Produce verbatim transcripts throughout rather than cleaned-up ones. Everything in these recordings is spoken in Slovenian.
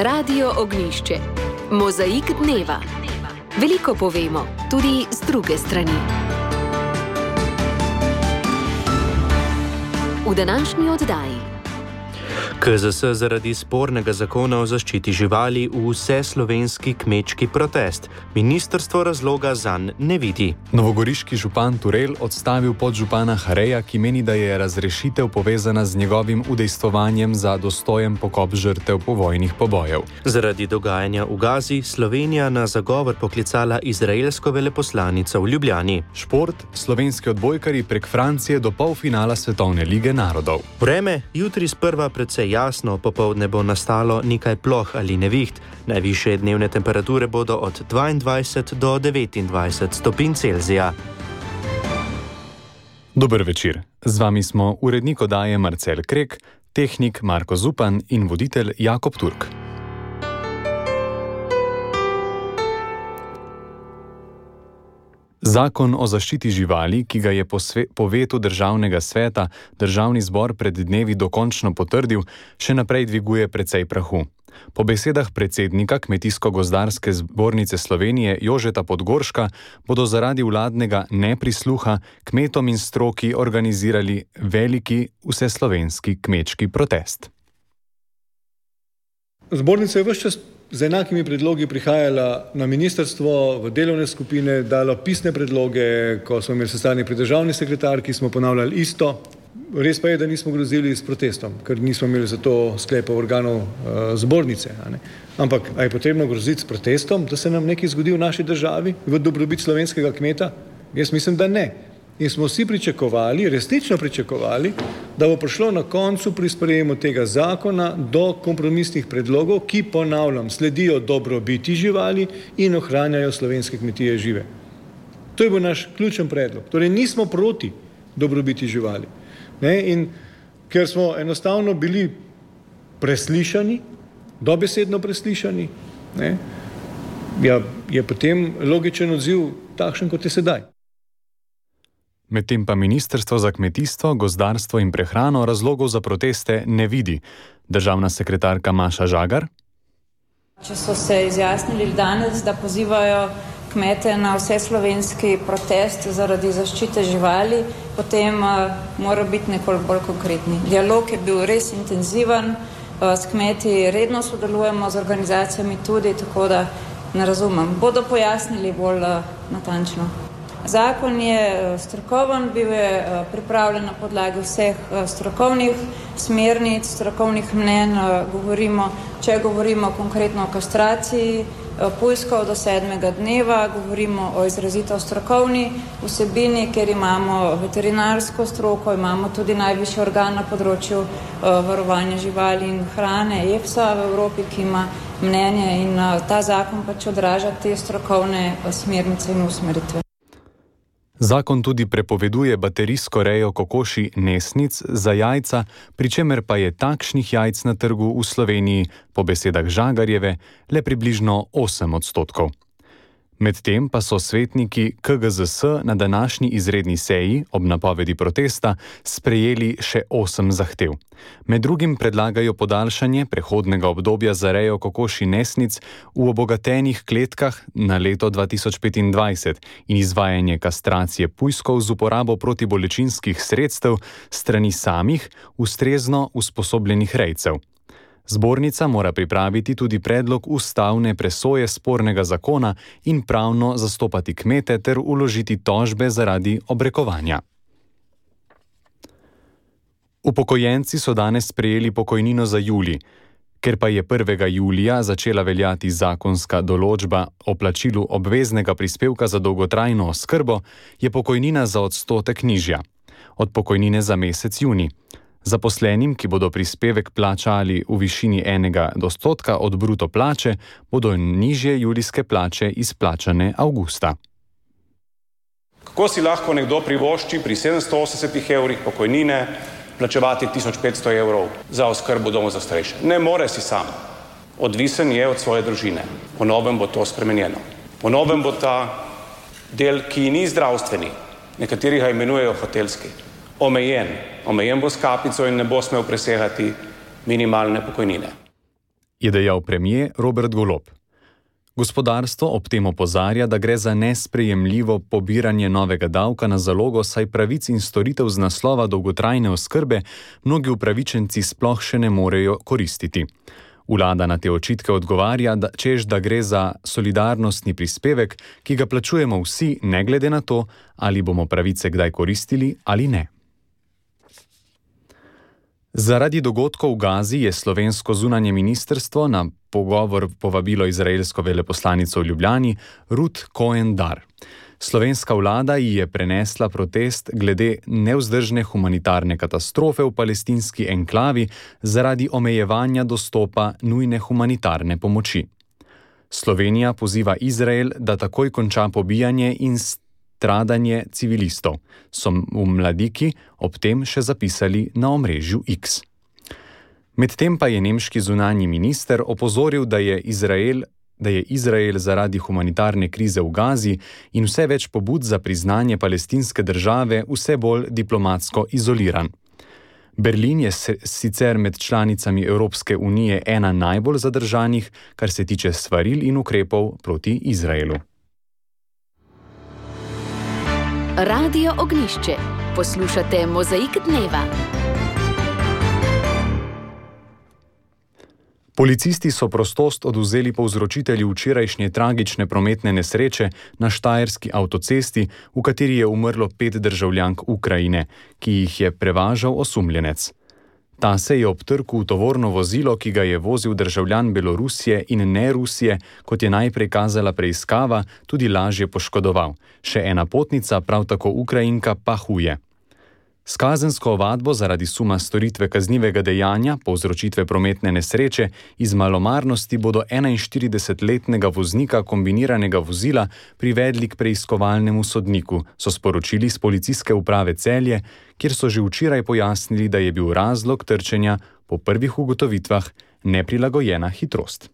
Radio Ognjišče. Mozaik dneva. Veliko povemo, tudi z druge strani. V današnji oddaji. K Z S zaradi spornega zakona o zaščiti živali v vseslovenski kmečki protest. Ministrstvo razloga zanj ne vidi. Novogoriški župan Turel odstavil podžupana Hareja, ki meni, da je razrešitev povezana z njegovim udejstvovanjem za dostojen pokop žrtev povojnih pobojev. Zaradi dogajanja v Gazi Slovenija na zagovor poklicala izraelsko veleposlanico v Ljubljani. Šport, slovenski odbojkarji prek Francije do polfinala Svetovne lige narodov. Vreme, jutri sprva predvsej jasno, popoldne bo nastalo nekaj ploh ali neviht. Najvišje dnevne temperature bodo od dvaindvajset do devetindvajset stopinj Celzija. Dober večer. Z vami smo urednik oddaje Marcel Krek, tehnik Marko Zupan in voditelj Jakob Turk. Zakon o zaščiti živali, ki ga je po, sve, po vetu državnega sveta državni zbor pred dnevi dokončno potrdil, še naprej dviguje precej prahu. Po besedah predsednika Kmetijsko-gozdarske zbornice Slovenije Jožeta Podgorška bodo zaradi vladnega neprisluha kmetom in stroki organizirali veliki vseslovenski kmečki protest. Zbornica je ves čas z enakimi predlogi prihajala na ministrstvo, v delovne skupine, dalo pisne predloge, ko smo imeli sestanek pri državni sekretarki, smo ponavljali isto. Res pa je, da nismo grozili s protestom, ker nismo imeli za to sklepov organov uh, zbornice. A ne? Ampak, a je potrebno groziti s protestom, da se nam nekaj zgodi v naši državi, v dobrobit slovenskega kmeta? Jaz mislim, da ne. In smo vsi pričakovali, resnično pričakovali, da bo prišlo na koncu pri sprejemu tega zakona do kompromisnih predlogov, ki, ponavljam, sledijo dobrobiti živali in ohranjajo slovenske kmetije žive. To je bil naš ključen predlog. Torej nismo proti dobrobiti živali. Ne? In ker smo enostavno bili preslišani, dobesedno preslišani, ne? Ja, je potem logičen odziv takšen, kot je sedaj. Medtem pa Ministrstvo za kmetijstvo, gozdarstvo in prehrano razlogov za proteste ne vidi. Državna sekretarka Maša Žagar. Če so se izjasnili danes, da pozivajo kmete na vseslovenski protest zaradi zaščite živali, potem uh, mora biti nekoliko bolj konkretni. Dialog je bil res intenziven, uh, s kmeti redno sodelujemo, z organizacijami tudi, tako da ne razumem. Bodo pojasnili bolj uh, natančno. Zakon je strokoven, bil je pripravljen na podlagi vseh strokovnih smernic, strokovnih mnenj. Govorimo, če govorimo konkretno o kastraciji pujskov do sedmega dneva, govorimo o izrazito strokovni vsebini, ker imamo veterinarsko stroko, imamo tudi najvišji organ na področju varovanja živali in hrane, EFSA v Evropi, ki ima mnenje, in ta zakon pač odraža te strokovne smernice in usmeritve. Zakon tudi prepoveduje baterijsko rejo kokoši nesnic za jajca, pri čemer pa je takšnih jajc na trgu v Sloveniji, po besedah Žagarjeve, le približno osem odstotkov. Medtem pa so svetniki K G Z S na današnji izredni seji ob napovedi protesta sprejeli še osem zahtev. Med drugim predlagajo podaljšanje prehodnega obdobja za rejo kokoši nesnic v obogatenih kletkah na leto dva tisoč petindvajset in izvajanje kastracije pujskov z uporabo protibolečinskih sredstev strani samih ustrezno usposobljenih rejcev. Zbornica mora pripraviti tudi predlog ustavne presoje spornega zakona in pravno zastopati kmete ter vložiti tožbe zaradi obrekovanja. Upokojenci so danes sprejeli pokojnino za julij. Ker pa je prvega julija začela veljati zakonska določba o plačilu obveznega prispevka za dolgotrajno oskrbo, je pokojnina za odstotek nižja. Od pokojnine za mesec junij. Zaposlenim, ki bodo prispevek plačali v višini enega odstotka od bruto plače, bodo nižje julijske plače izplačane avgusta. Kako si lahko nekdo privošči pri sedemsto osemdesetih evrih pokojnine plačevati tisoč petsto evrov za oskrbo doma za starejše? Ne more si sam. Odvisen je od svoje družine. Po novem bo to spremenjeno. Po novem bo ta del, ki ni zdravstveni, nekateri ga imenujejo hotelski, omejen. Omejen bo s kapico in ne bo smel presegati minimalne pokojnine. je dejal premier Robert Golob. Gospodarstvo ob tem opozarja, da gre za nesprejemljivo pobiranje novega davka na zalogo, saj pravic in storitev z naslova dolgotrajne oskrbe mnogi upravičenci sploh še ne morejo koristiti. Vlada na te očitke odgovarja, da, češ da gre za solidarnostni prispevek, ki ga plačujemo vsi, ne glede na to, ali bomo pravice kdaj koristili ali ne. Zaradi dogodkov v Gazi je slovensko zunanje ministrstvo na pogovor povabilo izraelsko veleposlanico v Ljubljani Ruth Cohen-Dar. Slovenska vlada ji je prenesla protest glede nevzdržne humanitarne katastrofe v palestinski enklavi zaradi omejevanja dostopa nujne humanitarne pomoči. Slovenija poziva Izrael, da takoj konča pobijanje in stradanje civilistov, so v Mladiki ob tem še zapisali na omrežju X. Medtem pa je nemški zunanji minister opozoril, da je Izrael da je Izrael zaradi humanitarne krize v Gazi in vse več pobud za priznanje palestinske države vse bolj diplomatsko izoliran. Berlin je sicer med članicami Evropske unije ena najbolj zadržanih, kar se tiče svaril in ukrepov proti Izraelu. Radio Ognjišče. Poslušate Mozaik dneva. Policisti so prostost odvzeli povzročitelju včerajšnje tragične prometne nesreče na štajerski avtocesti, v kateri je umrlo pet državljank Ukrajine, ki jih je prevažal osumljenec. Ta se je ob trku v tovorno vozilo, ki ga je vozil državljan Belorusije in ne Rusije, kot je najprej kazala preiskava, tudi lažje poškodoval. Še ena potnica, prav tako Ukrajinka, pa huje. S kazensko ovadbo zaradi suma storitve kaznivega dejanja, povzročitve prometne nesreče, iz malomarnosti bodo enainštiridesetletnega voznika kombiniranega vozila privedli k preiskovalnemu sodniku, so sporočili s policijske uprave Celje, kjer so že včeraj pojasnili, da je bil razlog trčenja po prvih ugotovitvah neprilagojena hitrost.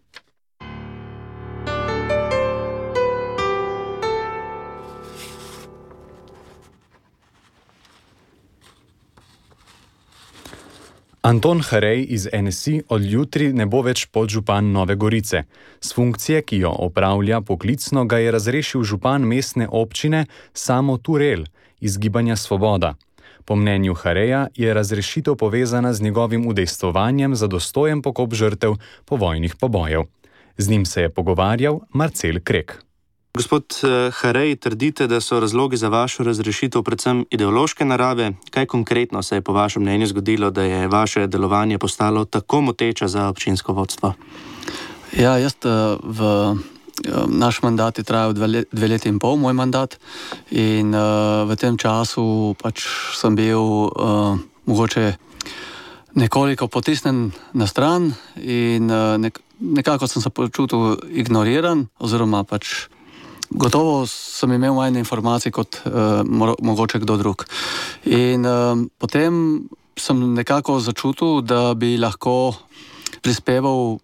Anton Harej iz N S I od jutri ne bo več podžupan Nove Gorice. S funkcije, ki jo opravlja poklicno, ga je razrešil župan mestne občine Samo Turel iz Gibanja Svoboda. Po mnenju Hareja je razrešitev povezana z njegovim udejstvovanjem za dostojen pokop žrtev povojnih pobojev. Z njim se je pogovarjal Marcel Krek. Gospod Harej, trdite, da so razlogi za vašo razrešitev predvsem ideološke narave. Kaj konkretno se je po vašem mnenju zgodilo, da je vaše delovanje postalo tako moteče za občinsko vodstvo? Ja, jaz v naš mandat je trajal dve, dve leti in pol, moj mandat, in v tem času pač sem bil uh, mogoče nekoliko potisnen na stran in nek, nekako sem se počutil ignoriran, oziroma pač gotovo sem imel manj informacij kot uh, mo- mogoče kdo drug. In uh, potem sem nekako začutil, da bi lahko prispeval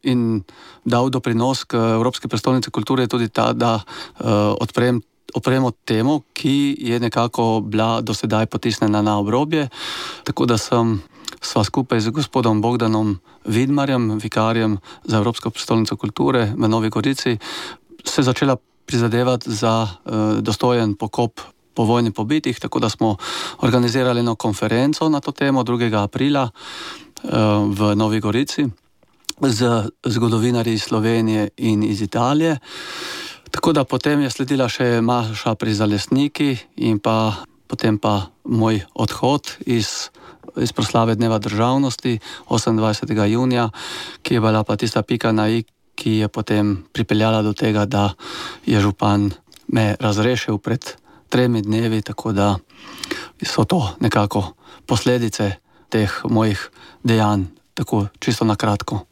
in dal doprinos k Evropski prestolnici kulture tudi ta, da uh, odprem, odpremo temo, ki je nekako bila do sedaj potisnjena na obrobje. Tako da sem sva skupaj z gospodom Bogdanom Vidmarjem, vikarjem za Evropsko prestolnico kulture v Novi Gorici, se začela prizadevati za uh, dostojen pokop po vojni pobitih, tako da smo organizirali eno konferenco na to temo drugega aprila uh, v Novi Gorici z zgodovinarji iz Slovenije in iz Italije. Tako da potem je sledila še maša pri Zalesniki in pa potem pa moj odhod iz, iz proslave Dneva državnosti osemindvajsetega junija, ki je bila pa tista pika na i, ki je potem pripeljala do tega, da je župan me razrešil pred tremi dnevi, tako da so to nekako posledice teh mojih dejanj, tako čisto na kratko.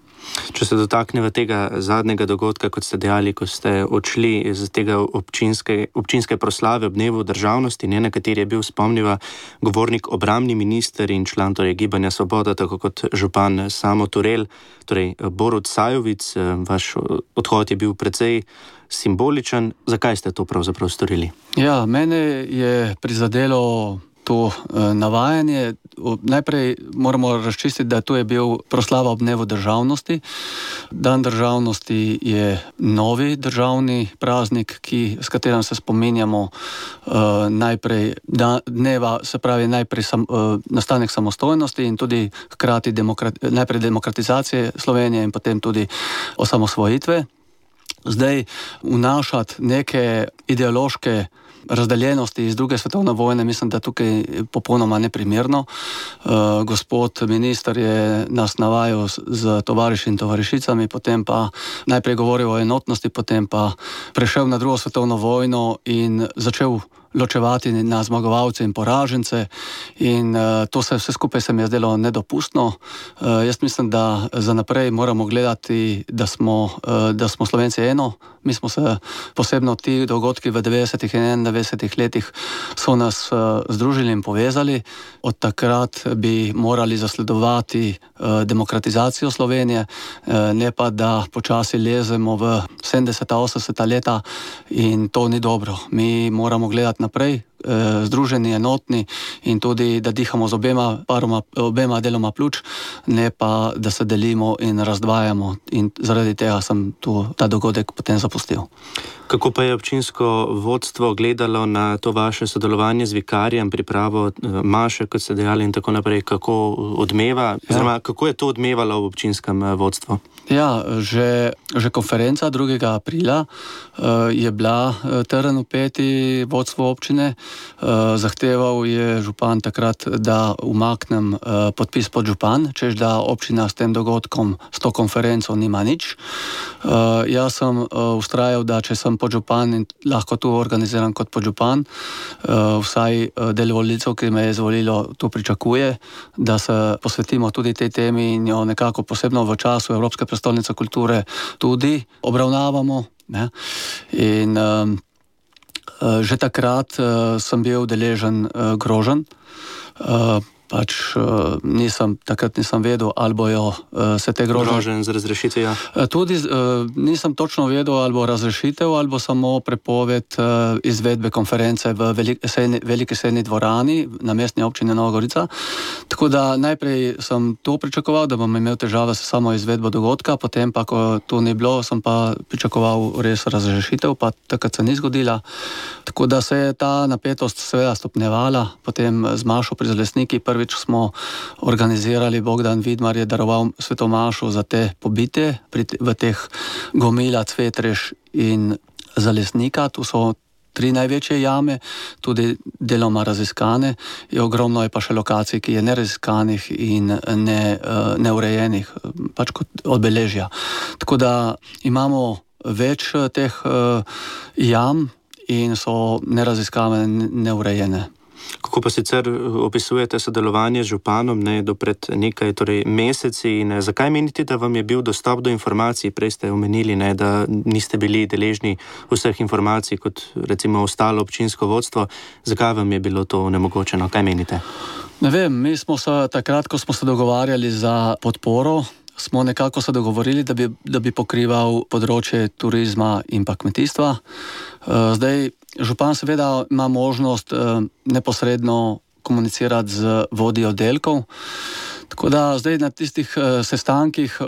Če se dotakneva tega zadnjega dogodka, kot ste dejali, ko ste odšli iz tega občinske, občinske proslave ob Dnevu državnosti, ne, na kateri je bil, spomniva, govornik obrambni minister in član torej Gibanja Svoboda, tako kot župan Samo Turel, torej Borut Sajovic, vaš odhod je bil precej simboličen. Zakaj ste to pravzaprav storili? Ja, mene je prizadelo to navajanje. Najprej moramo razčistiti, da to je bil proslava ob dnevu državnosti. Dan državnosti je novi državni praznik, ki, s katerim se spominjamo uh, najprej da, dneva, se pravi najprej sam, uh, nastanek samostojnosti in tudi hkrati demokrat, najprej demokratizacije Slovenije in potem tudi osamosvojitve. Zdaj vnašati neke ideološke razdeljenosti iz druge svetovne vojne, mislim, da tukaj popolnoma neprimerno. Uh, gospod minister je nas navajal z, z tovariši in tovarišicami, potem pa najprej govoril o enotnosti, potem pa prešel na drugo svetovno vojno in začel ločevati na zmagovalce in poražence in uh, to se vse skupaj se mi je zdelo nedopustno. Uh, jaz mislim, da za naprej moramo gledati, da smo, uh, da smo Slovenci eno. Mi smo se, posebno ti dogodki v devetdesetih in enaindevetdesetih letih so nas uh, združili in povezali. Od takrat bi morali zasledovati uh, demokratizacijo Slovenije, uh, ne pa da počasi lezemo v sedemdeseta, osemdeseta leta in to ni dobro. Mi moramo gledati naprej, združeni, enotni in tudi, da dihamo z obema, paroma, obema deloma pljuč, ne pa, da se delimo in razdvajamo. In zaradi tega sem tu ta dogodek potem zapustil. Kako pa je občinsko vodstvo gledalo na to vaše sodelovanje z vikarjem, pripravo maše, kot ste dejali in tako naprej, kako odmeva, oziroma ja. Kako je to odmevalo v občinskem vodstvu? Ja, že, že konferenca drugega aprila uh, je bila uh, teren upeti vodstvo občine. Uh, zahteval je župan takrat, da umaknem uh, podpis pod župan, čež da občina s tem dogodkom, s to konferenco nima nič. Uh, jaz sem uh, ustrajal, da če sem podžupan in lahko tu organiziram kot podžupan, uh, vsaj uh, del volivcev, ki me je izvolilo, tu pričakuje, da se posvetimo tudi tej temi in jo nekako posebno v času Evropske prestolnice kulture tudi obravnavamo. Ne? In um, že takrat uh, sem bil deležen uh, groženj. Uh, pač uh, nisem, takrat nisem vedel, ali bojo uh, se te groženj... Groženj z razrešitvijo? Uh, tudi uh, nisem točno vedel, ali bo razrešitev, ali bo samo prepoved uh, izvedbe konference v velik, sejni, veliki sejni dvorani na mestni občini Nova Gorica. Tako da najprej sem to pričakoval, da bom imel težave s samo izvedbo dogodka, potem pa, ko to ni bilo, sem pa pričakoval res razrešitev, pa takrat se ni zgodila. Tako da se je ta napetost seveda stopnevala, potem z mašo pri Zalesniki prvič smo organizirali, Bogdan Vidmar je daroval svetomašo za te pobite pri, v teh Gomila, Cvetreš in Zalesnika. Tu so tri največje jame, tudi deloma raziskane. Je ogromno je pa še lokacij, ki je neraziskanih in ne, neurejenih, pač kot obeležja. Tako da imamo več teh jam in so neraziskave, neurejene. Kako pa sicer opisujete sodelovanje z županom, ne, do pred nekaj torej, meseci in zakaj menite, da vam je bil dostop do informacij? Prej ste omenili, ne, da niste bili deležni vseh informacij kot recimo ostalo občinsko vodstvo. Zakaj vam je bilo to onemogočeno? Kaj menite? Ne vem, mi smo se takrat, ko smo se dogovarjali za podporo, smo nekako se dogovorili, da bi, da bi pokrival področje turizma in pa kmetijstva. Zdaj, župan seveda ima možnost neposredno komunicirati z vodji oddelkov. Tako da zdaj na tistih sestankih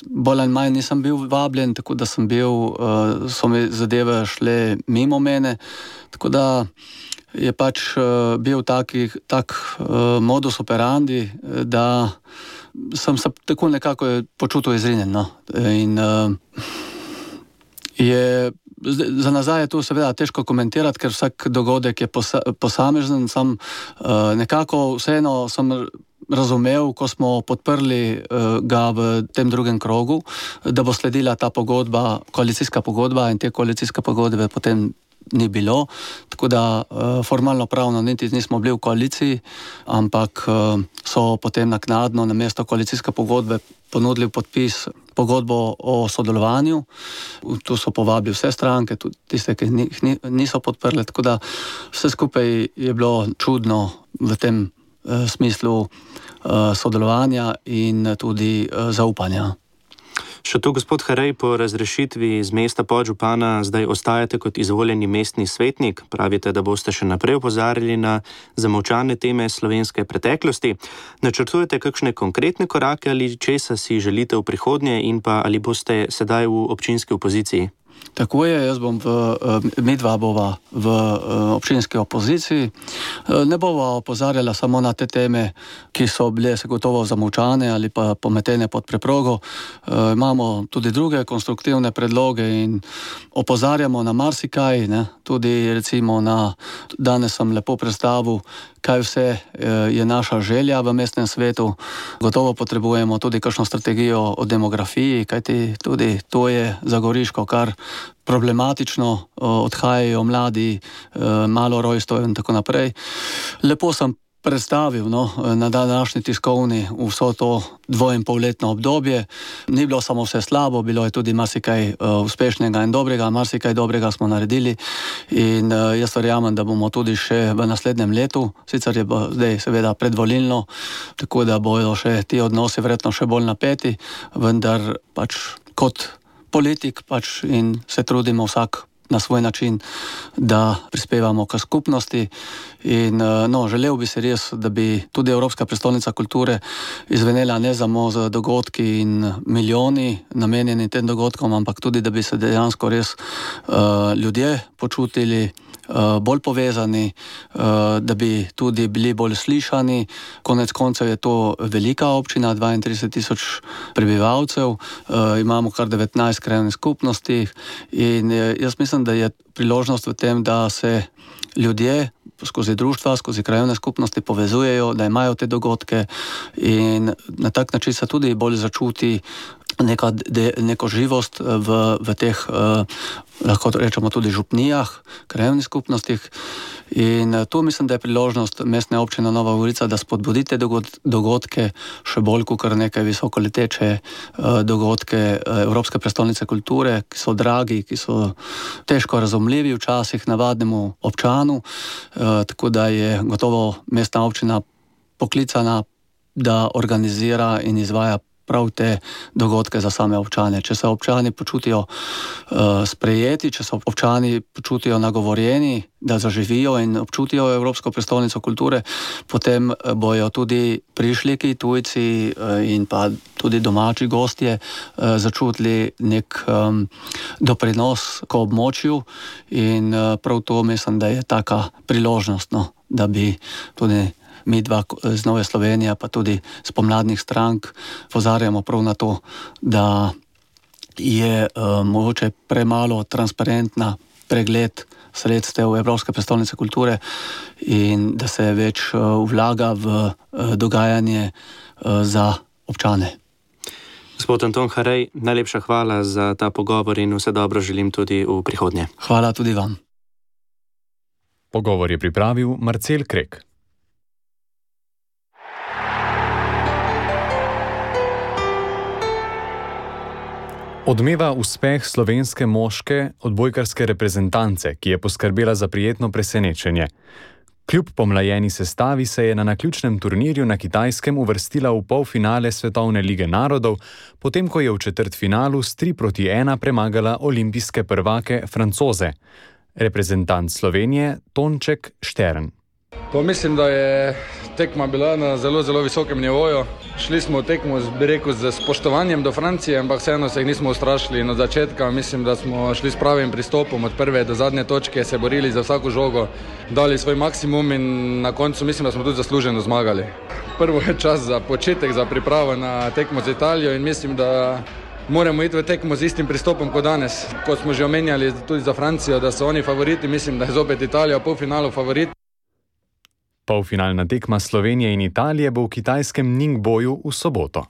bolj ali manj nisem bil vabljen, tako da sem bil, so mi zadeve šle mimo mene. Tako da je pač bil taki, tak modus operandi, da sem se tako nekako počutil izrinjen. No? In uh, je, za nazaj je to seveda težko komentirati, ker vsak dogodek je posa, posamezen. Sam uh, nekako vseeno sem razumel, ko smo podprli uh, ga v tem drugem krogu, da bo sledila ta pogodba, koalicijska pogodba in te koalicijske pogodbe potem ni bilo, tako da uh, formalno pravno niti nismo bili v koaliciji, ampak uh, so potem naknadno na mesto koalicijske pogodbe ponudili podpis pogodbo o sodelovanju. Tu so povabili vse stranke, tudi tiste, ki jih niso podprli, tako da vse skupaj je bilo čudno v tem uh, smislu uh, sodelovanja in tudi uh, zaupanja. Še tu, gospod Harej, po razrešitvi z mesta podžupana zdaj ostajate kot izvoljeni mestni svetnik. Pravite, da boste še naprej opozarjali na zamolčane teme slovenske preteklosti. Načrtujete kakšne konkretne korake ali česa si želite v prihodnje in pa ali boste sedaj v občinski opoziciji? Tako je, jaz bom v, medva bova v občinski opoziciji. Ne bova opozarjala samo na te teme, ki so bile se gotovo zamolčane ali pa pometene pod preprogo. Imamo tudi druge konstruktivne predloge in opozarjamo na marsikaj, ne? Tudi recimo na, danes sem lepo predstavil, kaj vse je naša želja v mestnem svetu. Gotovo potrebujemo tudi kakšno strategijo o demografiji, kajti tudi to je za Goriško kar problematično, odhajajo mladi, malo rojstvo in tako naprej. Lepo sem predstavil no, na današnji tiskovni vso to dvoinpolletno obdobje. Ni bilo samo vse slabo, bilo je tudi marsikaj uh, uspešnega in dobrega, marsikaj dobrega smo naredili in uh, jaz verjamem, da bomo tudi še v naslednjem letu, sicer je zdaj seveda predvolilno, tako da bojo še ti odnosi verjetno še bolj napeti, vendar pač kot politik pač in se trudimo vsak na svoj način, da prispevamo k skupnosti in no, želel bi se res, da bi tudi Evropska prestolnica kulture izvenela ne samo z dogodki in milijoni namenjeni tem dogodkom, ampak tudi, da bi se dejansko res uh, ljudje počutili Uh, bolj povezani, uh, da bi tudi bili bolj slišani. Konec koncev je to velika občina, dvaintrideset tisoč prebivalcev, uh, imamo kar devetnajst krajevnih skupnosti in uh, jaz mislim, da je priložnost v tem, da se ljudje skozi društva, skozi krajevne skupnosti povezujejo, da imajo te dogodke in na tak način se tudi bolj začuti neka, de, neko živost v, v teh, eh, lahko rečemo tudi župnijah, krajevnih skupnostih. In tu mislim, da je priložnost mestne občine Nova Gorica, da spodbudite dogodke še bolj kot neke visokoleteče eh, dogodke Evropske prestolnice kulture, ki so dragi, ki so težko razumljivi včasih navadnemu občanu, eh, tako da je gotovo mestna občina poklicana, da organizira in izvaja prav te dogodke za same občane. Če se občani počutijo uh, sprejeti, če se občani počutijo nagovorjeni, da zaživijo in občutijo Evropsko prestolnico kulture, potem bojo tudi prišljiki, tujci uh, in pa tudi domači gostje uh, začutili nek um, doprinos k območju in uh, prav to mislim, da je taka priložnost, no, da bi tudi mi dva z Nove Slovenije, pa tudi z pomladnih strank pozarjamo prav na to, da je uh, mogoče premalo transparentna pregled sredstev Evropske prestolnice kulture in da se več uh, vlaga v uh, dogajanje uh, za občane. Gospod Anton Harej, najlepša hvala za ta pogovor in vse dobro želim tudi v prihodnje. Hvala tudi vam. Pogovor je pripravil Marcel Krek. Odmeva uspeh slovenske moške odbojkarske reprezentance, ki je poskrbela za prijetno presenečenje. Kljub pomlajeni sestavi se je na naključnem turnirju na Kitajskem uvrstila v polfinale Svetovne lige narodov, potem ko je v četrtfinalu s tri proti ena premagala olimpijske prvake Francoze. Reprezentant Slovenije Tonček Štern. Pa mislim, da je tekma bila na zelo, zelo visokem nivoju. Šli smo v tekmo, bi rekel, z spoštovanjem do Francije, ampak vseeno se jih nismo ustrašili. Od začetka mislim, da smo šli s pravim pristopom, od prve do zadnje točke, se borili za vsako žogo, dali svoj maksimum in na koncu mislim, da smo tudi zasluženo zmagali. Prvo je čas za početek, za pripravo na tekmo z Italijo in mislim, da moramo iti v tekmo z istim pristopom kot danes. Kot smo že omenjali tudi za Francijo, da so oni favoriti, mislim, da je zopet Italija v polfinalu favorit. Polfinalna tekma Slovenije in Italije bo v kitajskem Ningboju v soboto.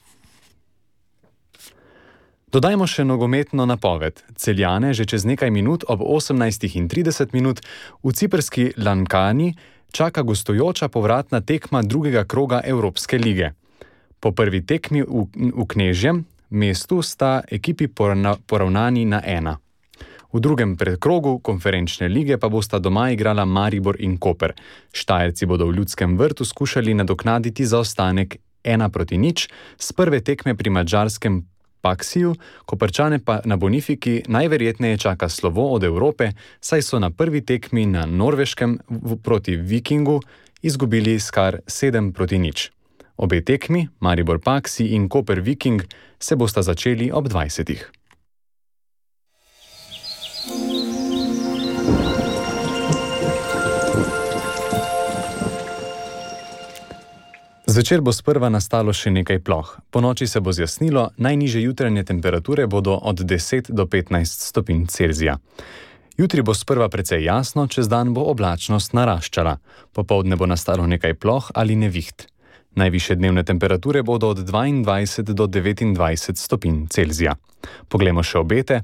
Dodajmo še nogometno napoved. Celjane že čez nekaj minut ob osemnajstih trideset minut v ciprski Lankani čaka gostujoča povratna tekma drugega kroga Evropske lige. Po prvi tekmi v, v Knežjem mestu sta ekipi poravna, poravnani na ena. V drugem predkrogu konferenčne lige pa bosta doma igrala Maribor in Koper. Štajerci bodo v Ljudskem vrtu skušali nadoknaditi zaostanek ena proti nič z prve tekme pri madžarskem Paksiju, Koprčane pa na Bonifiki najverjetneje čaka slovo od Evrope, saj so na prvi tekmi na Norveškem proti Vikingu izgubili skar sedem proti nič. Obe tekmi, Maribor Paksi in Koper Viking, se bosta začeli ob dvajsetih. Zvečer bo sprva nastalo še nekaj ploh. Ponoči se bo zjasnilo, najnižje jutranje temperature bodo od deset do petnajst stopinj Celzija. Jutri bo sprva precej jasno, čez dan bo oblačnost naraščala. Popoldne bo nastalo nekaj ploh ali neviht. Najvišje dnevne temperature bodo od dvaindvajset do devetindvajset stopinj Celzija. Poglejmo še obete.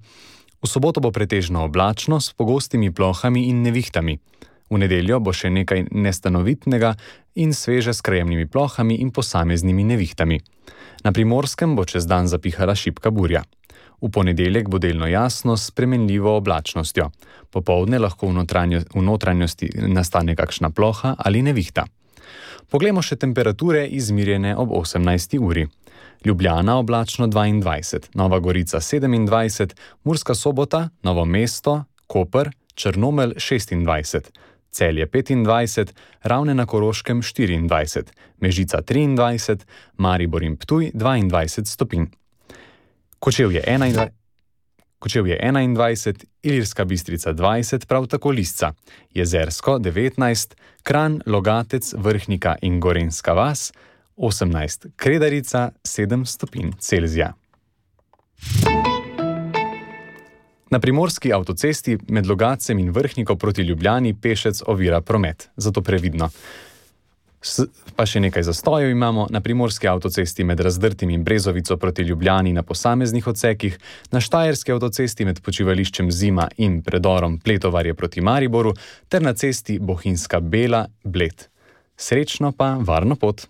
V soboto bo pretežno oblačno s pogostimi plohami in nevihtami. V nedeljo bo še nekaj nestanovitnega in sveže s krajemnimi plohami in posameznimi nevihtami. Na Primorskem bo čez dan zapihala šibka burja. V ponedeljek bo delno jasno s spremenljivo oblačnostjo. Popoldne lahko v, notranjo, v notranjosti nastane kakšna ploha ali nevihta. Poglejmo še temperature izmirjene ob osemnajsti uri. Ljubljana oblačno dvaindvajset, Nova Gorica sedemindvajset, Murska Sobota, Novo mesto, Koper, Črnomelj šestindvajset, Celje petindvajset, Ravne na Koroškem štiriindvajset, Mežica triindvajset, Maribor in Ptuj dvaindvajset stopinj. Kočevje enaindvajset, Kočevje enaindvajset, Ilirska Bistrica dvajset, prav tako Lisca, Jezersko devetnajst, Kranj, Logatec, Vrhnika in Gorenjska vas osemnajst, Kredarica sedem stopinj Celzija. Na primorski avtocesti med Logatcem in Vrhniko proti Ljubljani pešec ovira promet, zato previdno. S, pa še nekaj zastojev imamo na primorski avtocesti med Razdrtim in Brezovico proti Ljubljani na posameznih odsekih, na štajerski avtocesti med počivališčem Zima in predorom Pletovarje proti Mariboru ter na cesti Bohinjska Bela Bled. Srečno pa varno pot!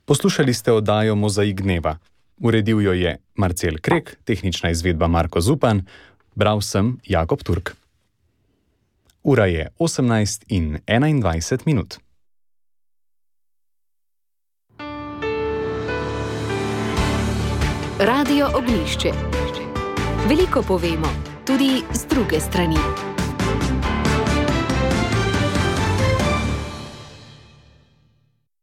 Poslušali ste oddajo Mozaik dneva. Uredil jo je Marcel Krek, tehnična izvedba Marko Zupan, bral sem Jakob Turk. Ura je osemnajst in enaindvajset minut. Radio Ognjišče. Veliko povemo, tudi z druge strani.